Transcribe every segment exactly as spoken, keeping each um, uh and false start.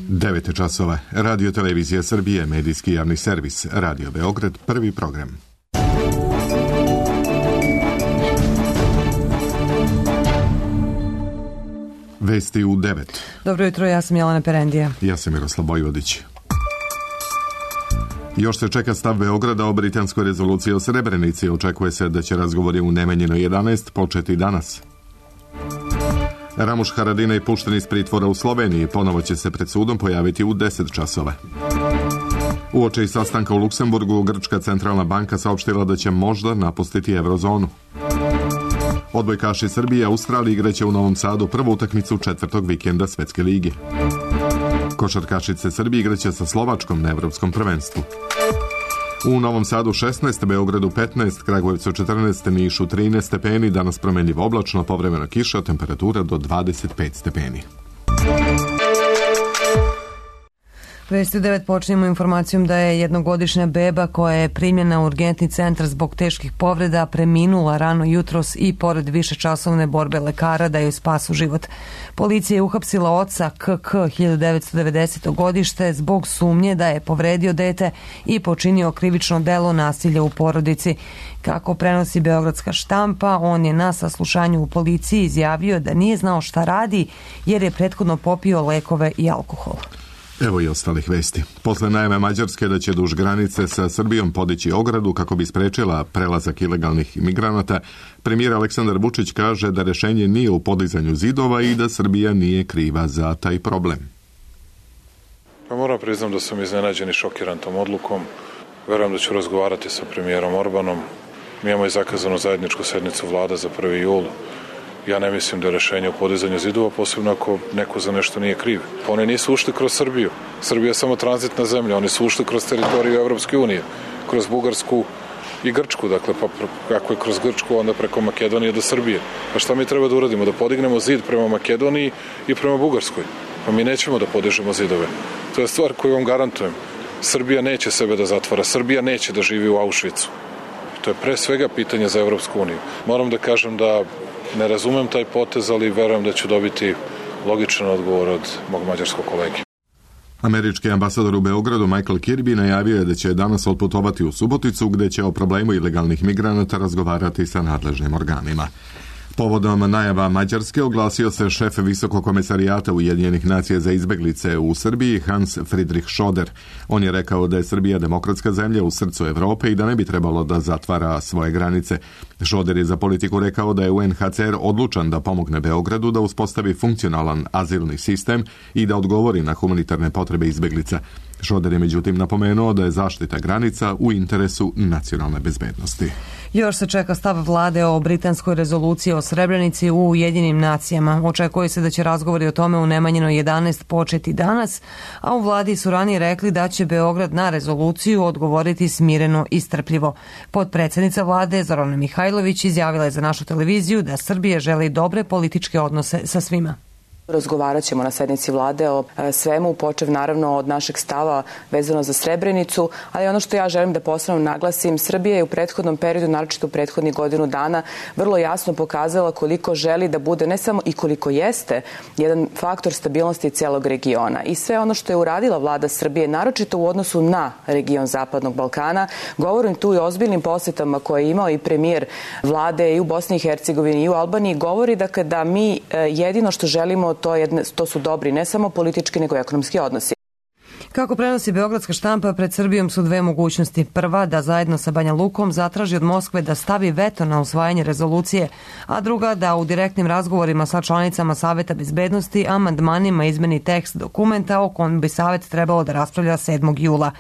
devet časova. Radio Televizija Srbije, medijski javni servis. Radio Beograd, prvi program. Vesti u devet. Dobro jutro, ja sam Jelena Perendija. Ja sam Miroslav Bojvodić. Još se čeka stav Beograda o britanskoj rezoluciji o Srebrenici. Očekuje se da će razgovori u Nemanjinoj jedanaest početi danas. Ramuš Haradinaj pušten iz pritvora u Sloveniji. Ponovo će se pred sudom pojaviti u deset časova. Uoči sastanka u Luksemburgu, Grčka centralna banka saopštila da će možda napustiti eurozonu. Odbojkaši Srbije i Australije igraće u Novom Sadu prvu utakmicu četvrtog vikenda Svetske lige. Košarkašice Srbije igraće sa Slovačkom na evropskom prvenstvu. U Novom Sadu šesnaest, Beogradu petnaest, Kragujevcu četrnaest, Nišu trinaest stepeni, danas promenljivo oblačno, povremeno kiša, temperatura do dvadeset pet stepeni. Vesti u devet počinjemo informacijom da je jednogodišnja beba koja je primljena u urgentni centar zbog teških povreda preminula rano jutros i pored višečasovne borbe lekara da joj spasu život. Policija je uhapsila oca K K hiljadu devetsto devedesete. godište zbog sumnje da je povredio dete i počinio krivično delo nasilja u porodici. Kako prenosi beogradska štampa, on je na saslušanju u policiji izjavio da nije znao šta radi jer je prethodno popio lekove i alkohol. Evo i ostalih vesti. Posle najave Mađarske da će duž granice sa Srbijom podići ogradu kako bi sprečila prelazak ilegalnih imigranata, premijer Aleksandar Vučić kaže da rešenje nije u podizanju zidova i da Srbija nije kriva za taj problem. Pa moram priznam da sam iznenađen i šokiran tom odlukom. Verujem da ću razgovarati sa premijerom Orbanom. Mi imamo i zakazanu zajedničku sednicu vlada za prvi jul. Ja ne mislim da je rešenje u podizanju zidova, posebno ako neko za nešto nije kriv. Oni nisu ušli kroz Srbiju. Srbija je samo tranzitna zemlja. Oni su ušli kroz teritoriju Evropske unije, kroz Bugarsku i Grčku. Dakle, pa ako je kroz Grčku, onda preko Makedonije do Srbije. Pa šta mi treba da uradimo? Da podignemo zid prema Makedoniji i prema Bugarskoj. Pa mi nećemo da podižemo zidove. To je stvar koju vam garantujem. Srbija neće sebe da zatvara. Srbija neće da živi u Auschwitzu. To je pre svega pitanje za Evropsku uniju. Moram da kažem da ne razumem taj potez, ali verujem da ću dobiti logičan odgovor od mog mađarskog kolege. Američki ambasador u Beogradu Michael Kirby najavio je da će danas otputovati u Suboticu gde će o problemu ilegalnih migranata razgovarati sa nadležnim organima. Povodom najava Mađarske oglasio se šef Visokog komesarijata Ujedinjenih nacija za izbeglice u Srbiji Hans Friedrich Schoder. On je rekao da je Srbija demokratska zemlja u srcu Evrope i da ne bi trebalo da zatvara svoje granice. Schoder je za Politiku rekao da je U N H C R odlučan da pomogne Beogradu da uspostavi funkcionalan azilni sistem i da odgovori na humanitarne potrebe izbeglica. Schoder je međutim napomenuo da je zaštita granica u interesu nacionalne bezbednosti. Još se čeka stav vlade o britanskoj rezoluciji o Srebrenici u Ujedinjenim nacijama. Očekuje se da će razgovori o tome u Nemanjinoj jedanaest početi danas, a u vladi su ranije rekli da će Beograd na rezoluciju odgovoriti smireno i strpljivo. Potpredsednica vlade Zorana Mihajlović izjavila je za našu televiziju da Srbija želi dobre političke odnose sa svima. Razgovarat ćemo na sednici vlade o svemu, počev naravno od našeg stava vezano za Srebrenicu, ali ono što ja želim da posebno naglasim, Srbija je u prethodnom periodu, naročito u prethodnih godinu dana, vrlo jasno pokazala koliko želi da bude, ne samo i koliko jeste, jedan faktor stabilnosti celog regiona. I sve ono što je uradila vlada Srbije, naročito u odnosu na region Zapadnog Balkana, govorim tu i o ozbiljnim posetama koje je imao i premijer vlade i u Bosni i Hercegovini i u Albaniji, govori dakle da mi jedino što želimo To, jedne, to su dobri ne samo politički nego i ekonomski odnosi. Kako prenosi beogradska štampa, pred Srbijom su dve mogućnosti. Prva, da zajedno sa Banja Lukom zatraži od Moskve da stavi veto na usvajanje rezolucije, a druga, da u direktnim razgovorima sa članicama Saveta bezbednosti amandmanima izmeni tekst dokumenta o kojem bi Savet trebalo da raspravlja sedmog jula.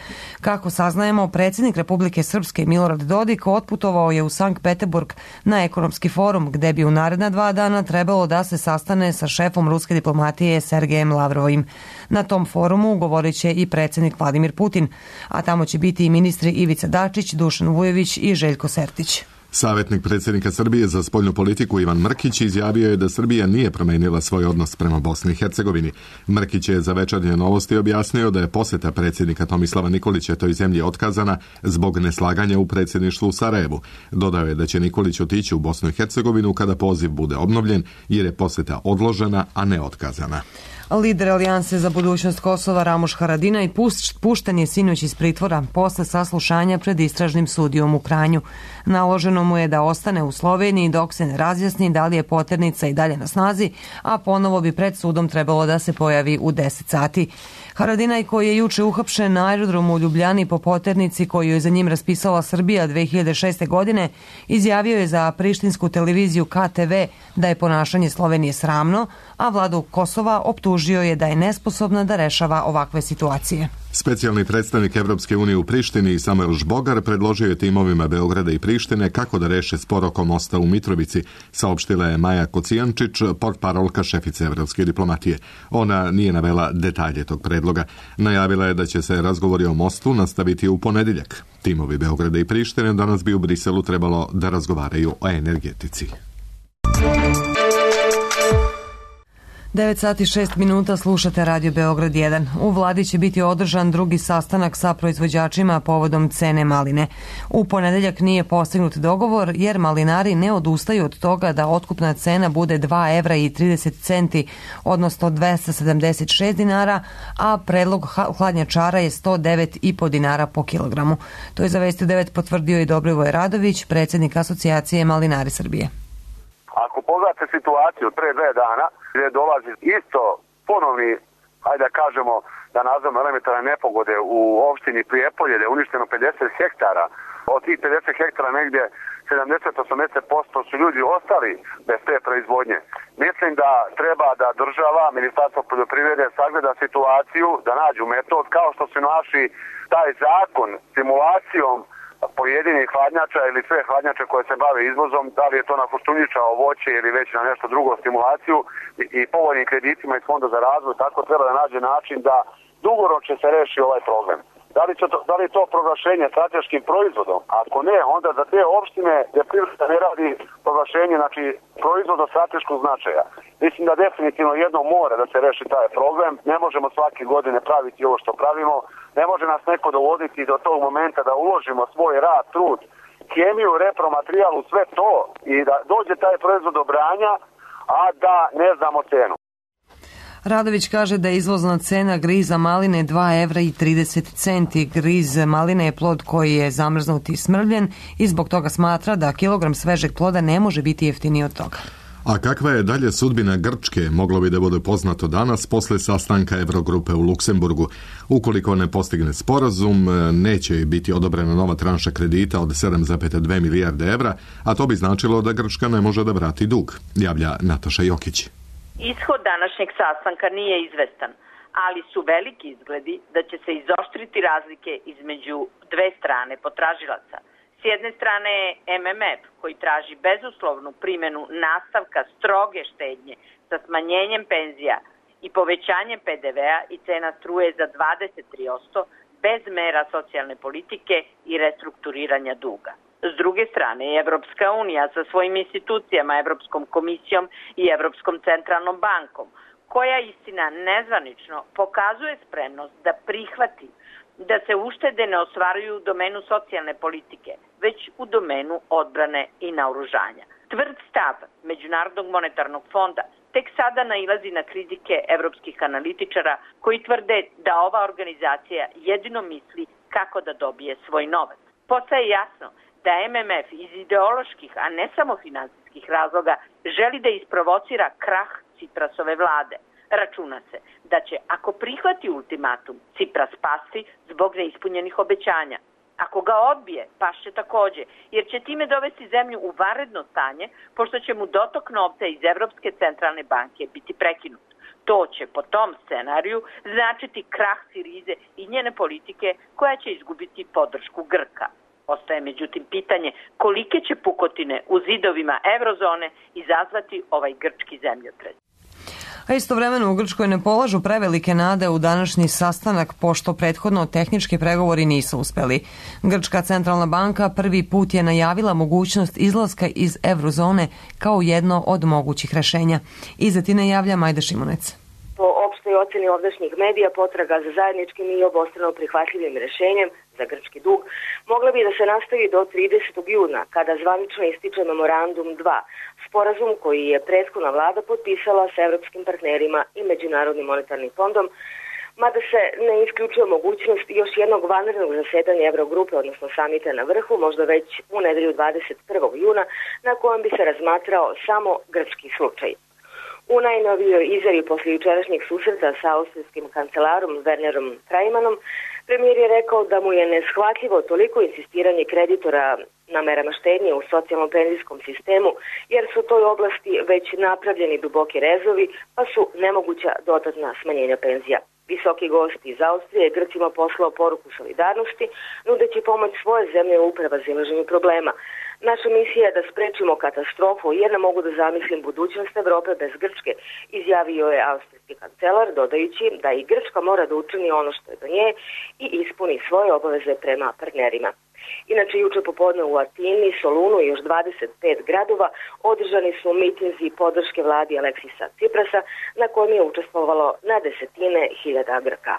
Kako saznajemo, predsjednik Republike Srpske Milorad Dodik otputovao je u Sankt Peterburg na ekonomski forum, gde bi u naredna dva dana trebalo da se sastane sa šefom ruske diplomatije Sergejem Lavrovim. Na tom forumu govorit će i predsjednik Vladimir Putin, a tamo će biti i ministri Ivica Dačić, Dušan Vujović i Željko Sertić. Savjetnik predsjednika Srbije za spoljnu politiku Ivan Mrkić izjavio je da Srbija nije promenila svoj odnos prema Bosni i Hercegovini. Mrkić je za Večernje novosti objasnio da je posjeta predsjednika Tomislava Nikolića toj zemlji otkazana zbog neslaganja u predsjedništvu u Sarajevu. Dodao je da će Nikolić otići u Bosnu i Hercegovinu kada poziv bude obnovljen, jer je posjeta odložena, a ne otkazana. Lider Alijanse za budućnost Kosova Ramuš Haradinaj pušten je sinoć iz pritvora posle saslušanja pred istražnim sudijom u Kranju. Naloženo mu je da ostane u Sloveniji dok se ne razjasni da li je poternica i dalje na snazi, a ponovo bi pred sudom trebalo da se pojavi u deset sati. Haradinaj, koji je juče uhapšen na aerodromu u Ljubljani po poternici koju je za njim raspisala Srbija dve hiljade šeste. godine, izjavio je za prištinsku televiziju K T V da je ponašanje Slovenije sramno, a vladu Kosova optužio je da je nesposobna da rešava ovakve situacije. Specijalni predstavnik Evropske unije u Prištini Samuel Žbogar predložio je timovima Beograda i Prištine kako da reše spor oko mosta u Mitrovici, saopštila je Maja Kocijančić, portparolka šefice evropske diplomatije. Ona nije navela detalje tog predloga. Najavila je da će se razgovori o mostu nastaviti u ponedeljak. Timovi Beograda i Prištine danas bi u Briselu trebalo da razgovaraju o energetici. devet sati šest minuta, slušate Radio Beograd jedan. U vladi će biti održan drugi sastanak sa proizvođačima povodom cene maline. U ponedeljak nije postignut dogovor jer malinari ne odustaju od toga da otkupna cena bude dva evra i trideset centi, odnosno dvesta sedamdeset šest dinara, a predlog hladnjačara je sto devet i po dinara po kilogramu. To je za Vesti devet potvrdio i Dobrivoj Radović, predsjednik Asocijacije Malinari Srbije. Ako pogledate situaciju od pre dve dana, gdje dolazi isto ponovni, hajde da kažemo, da nazvamo elementarne nepogode u opštini Prijepolje, gdje je uništeno pedeset hektara, od tih pedeset hektara negdje sedamdeset do osamdeset posto su ljudi ostali bez te proizvodnje. Mislim da treba da država, Ministarstvo poljoprivrede sagleda situaciju, da nađu metod, kao što su našli taj zakon simulacijom pojedinih hladnjača ili sve hladnjače koje se bave izvozom, da li je to na koštunjičao voće ili već na nešto drugo stimulaciju i, i povoljnim kreditima iz Fonda za razvoj, tako treba da nađe način da dugoročno se reši ovaj problem. Da li, to, da li je to proglašenje strateškim proizvodom? Ako ne, onda za te opštine gdje privreda ne radi proglašenje, znači proizvod od strateškog značaja. Mislim da definitivno jedno mora da se reši taj problem. Ne možemo svake godine praviti ovo što pravimo. Ne može nas neko dovoditi do tog momenta da uložimo svoj rad, trud, kemiju, repromaterijalu, sve to i da dođe taj proizvod do branja, a da ne znamo cenu. Radović kaže da je izvozna cena griza maline dva evra i trideset centi. Griz maline je plod koji je zamrznut i smrvljen i zbog toga smatra da kilogram svežeg ploda ne može biti jeftiniji od toga. A kakva je dalje sudbina Grčke, moglo bi da bude poznato danas posle sastanka Evrogrupe u Luksemburgu. Ukoliko ne postigne sporazum, neće biti odobrena nova tranša kredita od sedam zarez dve milijarde evra, a to bi značilo da Grčka ne može da vrati dug, javlja Nataša Jokić. Ishod današnjeg sastanka nije izvestan, ali su veliki izgledi da će se izoštriti razlike između dve strane potražilaca. S jedne strane je M M F koji traži bezuslovnu primjenu nastavka stroge štednje sa smanjenjem penzija i povećanjem P D V-a i cena struje za dvadeset tri posto bez mera socijalne politike i restrukturiranja duga. S druge strane je Evropska unija sa svojim institucijama, Evropskom komisijom i Evropskom centralnom bankom, koja istina nezvanično pokazuje spremnost da prihvati da se uštede ne ostvaruju u domenu socijalne politike, već u domenu odbrane i naoružanja. Tvrd stav Međunarodnog monetarnog fonda tek sada nailazi na kritike evropskih analitičara koji tvrde da ova organizacija jedino misli kako da dobije svoj novac. Postaje jasno da M M F iz ideoloških, a ne samo finansijskih razloga, želi da isprovocira krah Ciprasove vlade. Računa se da će, ako prihvati ultimatum, Cipras pasti zbog neispunjenih obećanja. Ako ga odbije, pašće takođe, jer će time dovesti zemlju u vanredno stanje, pošto će mu dotok novca iz Evropske centralne banke biti prekinut. To će po tom scenariju značiti krah Sirize i njene politike koja će izgubiti podršku Grka. Ostaje međutim pitanje kolike će pukotine u zidovima eurozone izazvati ovaj grčki zemljotres. A istovremeno u Grčkoj ne polažu prevelike nade u današnji sastanak, pošto prethodno tehnički pregovori nisu uspeli. Grčka centralna banka prvi put je najavila mogućnost izlaska iz eurozone kao jedno od mogućih rešenja. Iza Tine javlja Majda Šimunec. Po opštoj oceni ovdašnjih medija, potraga za zajedničkim i obostrano prihvatljivim rešenjem za grčki dug mogla bi da se nastavi do tridesetog juna, kada zvanično ističe Memorandum dva, sporazum koji je prethodna vlada potpisala sa evropskim partnerima i Međunarodnim monetarnim fondom, mada se ne isključuje mogućnost još jednog vanrednog zasedanja Evrogrupe, odnosno samita na vrhu, možda već u nedelju dvadeset prvog juna, na kojem bi se razmatrao samo grčki slučaj. U najnovijoj izjavi posle jučerašnjeg susreta sa austrijskim kancelarom Wernerom Trajmanom, premijer je rekao da mu je neshvatljivo toliko insistiranje kreditora na merama štednje u socijalno-penzijskom sistemu, jer su u toj oblasti već napravljeni duboki rezovi, pa su nemoguća dodatna smanjenja penzija. Visoki gost iz Austrije Grcima poslao poruku solidarnosti, nudeći pomoć svoje zemlje u prevazilaženju problema. Naša misija je da sprečimo katastrofu, jer ne mogu da zamislim budućnost Evrope bez Grčke, izjavio je austrijski kancelar, dodajući da i Grčka mora da učini ono što je do nje i ispuni svoje obaveze prema partnerima. Inače, juče popodne u Atini, Solunu i još dvadeset pet gradova održani su mitinzi podrške vladi Aleksisa Ciprasa, na kojem je učestvovalo na desetine hiljada Grka.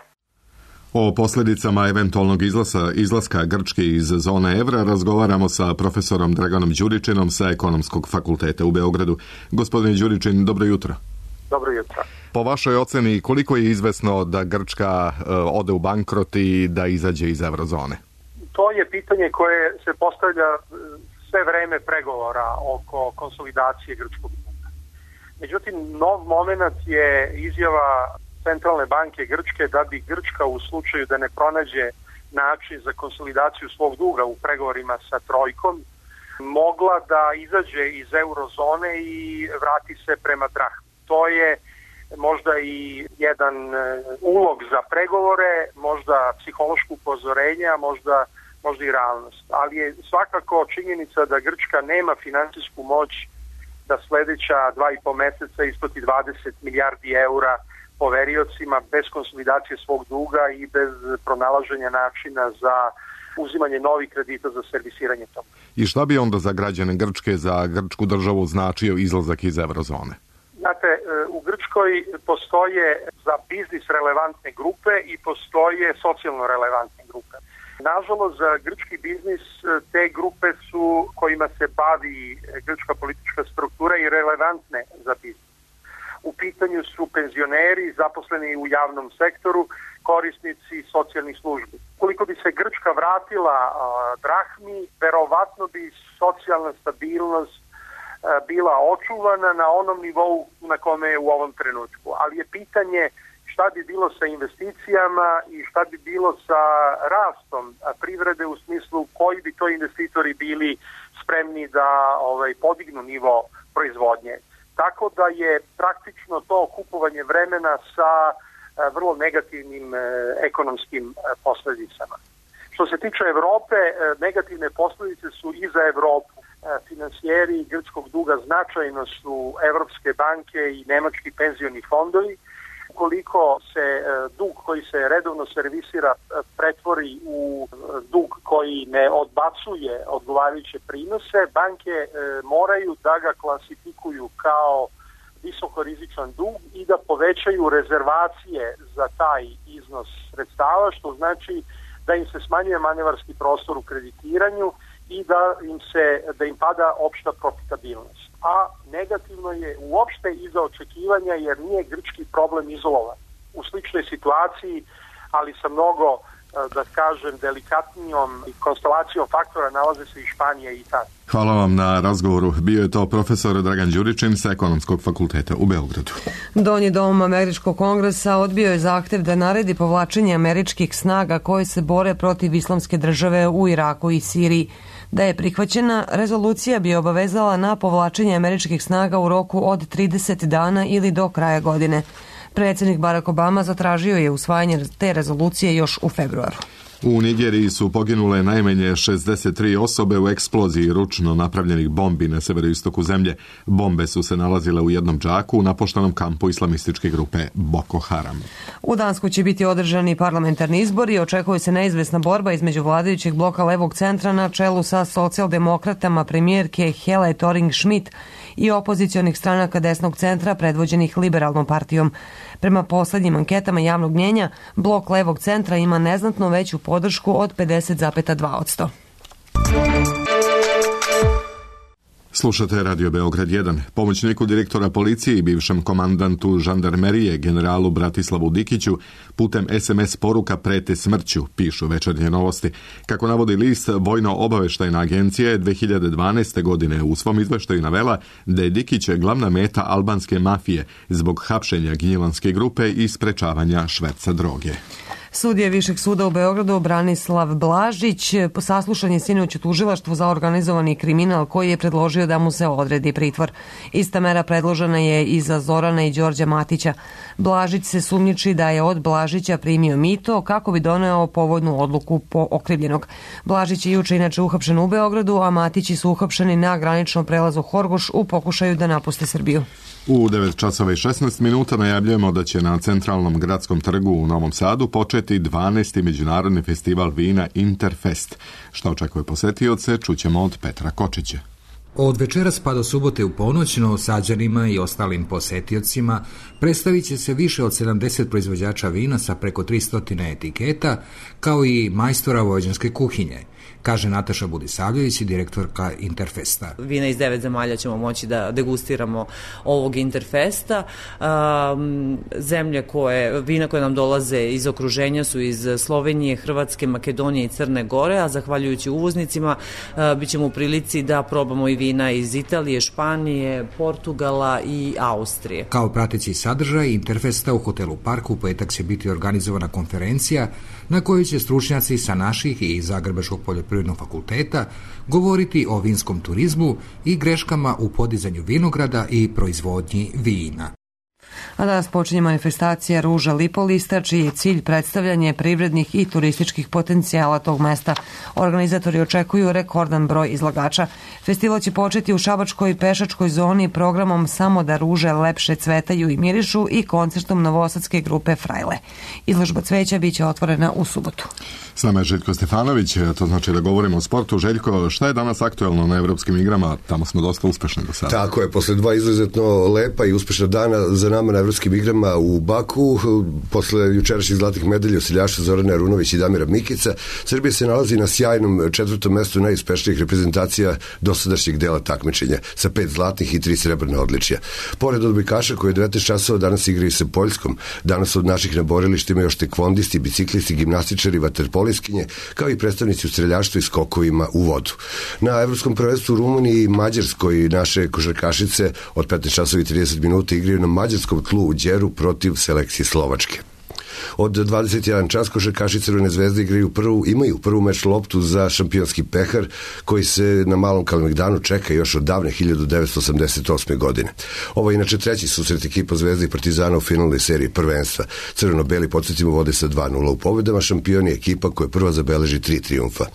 O posljedicama eventualnog izlaska, izlaska Grčke iz zone evra razgovaramo sa profesorom Draganom Đuričinom sa Ekonomskog fakulteta u Beogradu. Gospodine Đuričin, dobro jutro. Dobro jutro. Po vašoj oceni, koliko je izvesno da Grčka uh, ode u bankrot i da izađe iz eurozone? To je pitanje koje se postavlja sve vreme pregovora oko konsolidacije grčkog duga. Međutim, nov moment je izjava Centralne banke Grčke da bi Grčka u slučaju da ne pronađe način za konsolidaciju svog duga u pregovorima sa trojkom mogla da izađe iz eurozone i vrati se prema drahmi. To je možda i jedan ulog za pregovore, možda psihološko upozorenje, možda, možda i realnost. Ali je svakako činjenica da Grčka nema finansijsku moć da sledeća dva i po meseca isplati dvadeset milijardi eura poveriocima bez konsolidacije svog duga i bez pronalaženja načina za uzimanje novih kredita za servisiranje toga. I šta bi onda za građane Grčke, za grčku državu značio izlazak iz eurozone? Znate, u Grčkoj postoje za biznis relevantne grupe i postoje socijalno relevantne grupe. Nažalost, za grčki biznis te grupe su kojima se bavi grčka politička struktura i relevantne za biznis. U pitanju su penzioneri, zaposleni u javnom sektoru, korisnici socijalnih službi. Koliko bi se Grčka vratila a, drahmi, verovatno bi socijalna stabilnost a, bila očuvana na onom nivou na kome je u ovom trenutku. Ali je pitanje šta bi bilo sa investicijama i šta bi bilo sa rastom privrede u smislu koji bi to investitori bili spremni da ovaj, podignu nivo proizvodnje. Tako da je praktično to kupovanje vremena sa vrlo negativnim ekonomskim posljedicama. Što se tiče Evrope, negativne posljedice su i za Evropu. Finansijeri grčkog duga značajno su evropske banke i nemački penzioni fondovi. Ukoliko se dug koji se redovno servisira pretvori u dug koji ne odbacuje odgovarajuće prinose, banke moraju da ga klasifikuju kao visokorizičan dug i da povećaju rezervacije za taj iznos sredstava, što znači da im se smanjuje manevarski prostor u kreditiranju i da im se da im pada opšta profitabilnost. A negativno je uopšte iza očekivanja jer nije grčki problem izolovan. U sličnoj situaciji, ali sa mnogo, da kažem, delikatnijom konstelacijom faktora nalaze se i Španija i Italija. Hvala vam na razgovoru. Bio je to profesor Dragan Đuričin sa Ekonomskog fakulteta u Beogradu. Donji dom Američkog kongresa odbio je zahtev da naredi povlačenje američkih snaga koje se bore protiv islamske države u Iraku i Siriji. Da je prihvaćena, rezolucija bi obavezala na povlačenje američkih snaga u roku od trideset dana ili do kraja godine. Predsjednik Barack Obama zatražio je usvajanje te rezolucije još u februaru. U Nigeriji su poginule najmanje šezdeset tri osobe u eksploziji ručno napravljenih bombi na severoistoku zemlje. Bombe su se nalazile u jednom džaku u napuštenom kampu islamističke grupe Boko Haram. U Dansku će biti održani parlamentarni izbori i očekuje se neizvesna borba između vladajućeg bloka levog centra na čelu sa socijaldemokratama premijerke Hele Thorning-Schmidt i opozicionih stranaka desnog centra predvođenih Liberalnom partijom. Prema poslednjim anketama javnog mnjenja, blok levog centra ima neznatno veću podršku od pedeset zarez dva posto. Slušate Radio Beograd jedan. Pomoćniku direktora policije i bivšem komandantu žandarmerije generalu Bratislavu Dikiću putem es em es poruka prete smrću, pišu Večernje novosti. Kako navodi list, Vojno-obaveštajna agencija je dve hiljade dvanaeste. godine u svom izveštaju navela da je Dikić glavna meta albanske mafije zbog hapšenja gnjilanske grupe i sprečavanja šverca droge. Sudija Višeg suda u Beogradu Branislav Blažić saslušan je sinoć u tužilaštvu za organizovani kriminal koji je predložio da mu se odredi pritvor. Ista mera predložena je i za Zorana i Đorđa Matića. Blažić se sumnjiči da je od Blažića primio mito kako bi doneo povoljnu odluku po okrivljenog. Blažić je juče inače uhapšen u Beogradu, a Matići su uhapšeni na graničnom prelazu Horgoš u pokušaju da napuste Srbiju. U devet časova i šesnaest minuta najavljujemo da će na Centralnom gradskom trgu u Novom Sadu početi dvanaesti međunarodni festival vina Interfest. Šta očekuje posetioce, čućemo od Petra Kočića. Od večeras pa do subote u ponoć Novosađanima i ostalim posetiocima predstavit će se više od sedamdeset proizvođača vina sa preko tristo etiketa, kao i majstora vojvođanske kuhinje, kaže Nataša Budisavljević, direktorka Interfesta. Vina iz devet zemalja ćemo moći da degustiramo ovog Interfesta. Zemlje koje, vina koje nam dolaze iz okruženja su iz Slovenije, Hrvatske, Makedonije i Crne Gore, a zahvaljujući uvoznicima bit ćemo u prilici da probamo i vina iz Italije, Španije, Portugala i Austrije. Kao prateći sadržaj Interfesta u hotelu Park u petak će biti organizovana konferencija na kojoj će stručnjaci sa naših i Zagrebačkog poljoprivrednog fakulteta govoriti o vinskom turizmu i greškama u podizanju vinograda i proizvodnji vina. A danas počinje manifestacija Ruža Lipolista, čiji je cilj predstavljanje privrednih i turističkih potencijala tog mesta. Organizatori očekuju rekordan broj izlagača. Festival će početi u šabačkoj pešačkoj zoni programom Samo da ruže lepše cvetaju i mirišu i koncertom novosadske grupe Frajle. Izložba cveća biće otvorena u subotu. S nama je Željko Stefanović, to znači da govorimo o sportu. Željko, šta je danas aktuelno na evropskim igrama? Tamo smo dosta uspešni do sada. Tako je, posle dva izuzetno lepa i uspešna dana za nama na evropskim igrama u Baku, posle jučerašnjih zlatih medalja osiljaša Zorana Arunović i Damira Mikica, Srbija se nalazi na sjajnom četvrtom mestu najuspešnijih reprezentacija dosadašnjeg dela takmičenja, sa pet zlatnih i tri srebrna odličja. Pored odbojkaša koji je devetnaest časova danas igraju sa Poljskom, danas od naših na borilištima ima još tekvondisti, biciklisti, gimnastičari, vaterpolisti, kao i predstavnici u streljaštvu i skokovima u vodu. Na evropskom prvenstvu u Rumuniji i Mađarskoj naše košarkašice od petnaest časova i trideset minuta igraju na mađarskom tlu u Đeru protiv selekcije Slovačke. Od dvadeset jedan čas košarkaši Crvene zvezde igraju prvu, imaju prvu meč loptu za šampionski pehar koji se na Malom Kalemegdanu čeka još od davne hiljadu devetsto osamdeset osme. godine. Ovo je inače treći susret ekipa Zvezde i Partizana u finalnoj seriji prvenstva. Crveno-beli, podsjetimo, vode sa dva nula u pobedama, šampioni ekipa koja prva zabeleži tri trijumfa.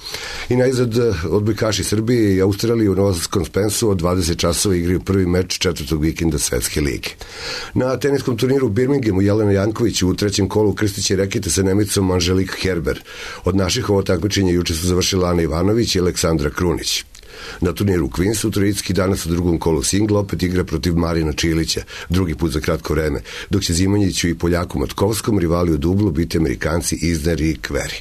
I najzad odbojkaši Srbije i Australije u Novosadskom Spensu od dvadeset časova igraju prvi meč četvrtog vikenda Svetske lige. Na teniskom turniru u Birminghamu Jelena Janković u trećem kolu krstiće rekete sa Nemicom Angelique Kerber. Od naših ovo takmičenja juče su završila Ana Ivanović i Aleksandra Krunić. Na turniru u Queensu Trojicki danas u drugom kolu singla opet igra protiv Marina Čilića, drugi put za kratko vreme, dok će Zimonjiću i Poljaku Matkovskom rivali u dublu biti Amerikanci Isner i Kveri.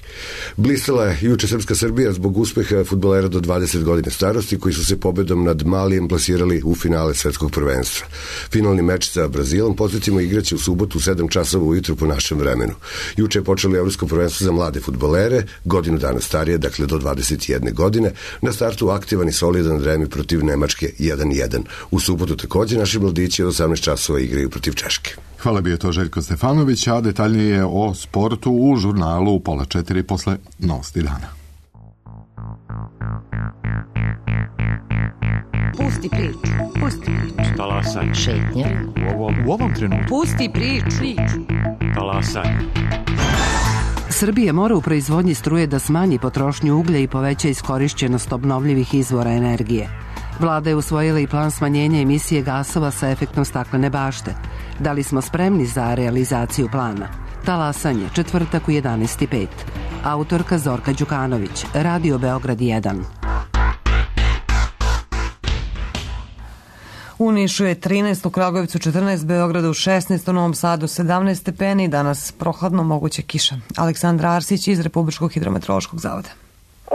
Blistala je juče srpska Srbija zbog uspeha fudbalera do dvadeset godine starosti koji su se pobedom nad Malijem plasirali u finale svetskog prvenstva. Finalni meč sa Brazilom, podsjetimo, igraće u subotu u sedam časova ujutru po našem vremenu. Juče je počelo evropsko prvenstvo za mlade fudbalere, godinu dana starije, dakle do dvadeset jedne godine, na startu aktivan i solidan Remi protiv Nemačke jedan jedan. U subotu takođe naši mladići od osamnaest časova igraju protiv Češke. Hvala, bio to Željko Stefanović, a detaljnije o sportu u žurnalu u pola četiri posle novosti dana. Pusti priču, pusti priču. Talasaj. Šetnja. U ovom, u ovom trenutku. Pusti priču. Talasaj. Srbija mora u proizvodnji struje da smanji potrošnju uglja i poveća iskorišćenost obnovljivih izvora energije. Vlada je usvojila i plan smanjenja emisije gasova sa efektom staklene bašte. Da li smo spremni za realizaciju plana? Talasanje, četvrtak u jedanaest i pet. Autorka Zorka Đukanović, Radio Beograd jedan. U Nišu je trinaest, u Kragujevcu četrnaest, Beogradu šesnaest, u Novom Sadu sedamnaest stepeni, danas prohladno, moguće kiša. Aleksandra Arsić iz Republičkog hidrometeorološkog zavoda.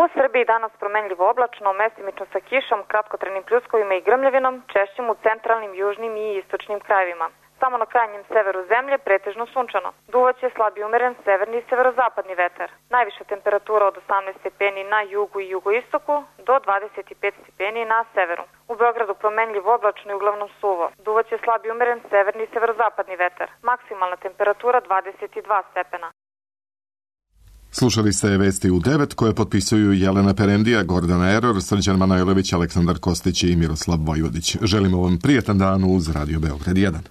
U Srbiji danas promenljivo oblačno, mestimično sa kišom, kratkotrenim pljuskovima i grmljavinom, češćim u centralnim, južnim i istočnim krajevima. Samo na krajnjem severu zemlje pretežno sunčano. Duvaće slab i umeren severni i severozapadni vetar. Najviša temperatura od osamnaest stepeni na jugu i jugoistoku do dvadeset pet stepeni na severu. U Beogradu promenljivo oblačno i uglavnom suvo. Duvaće slab i umeren severni i severozapadni vetar. Maksimalna temperatura dvadeset dva stepena. Slušali ste vesti u devet koje potpisuju Jelena Perendija, Gordana Eror, Srđan Manojlović, Aleksandar Kostić i Miroslav Vojvodić. Želimo vam prijetan dan uz Radio Beograd jedan.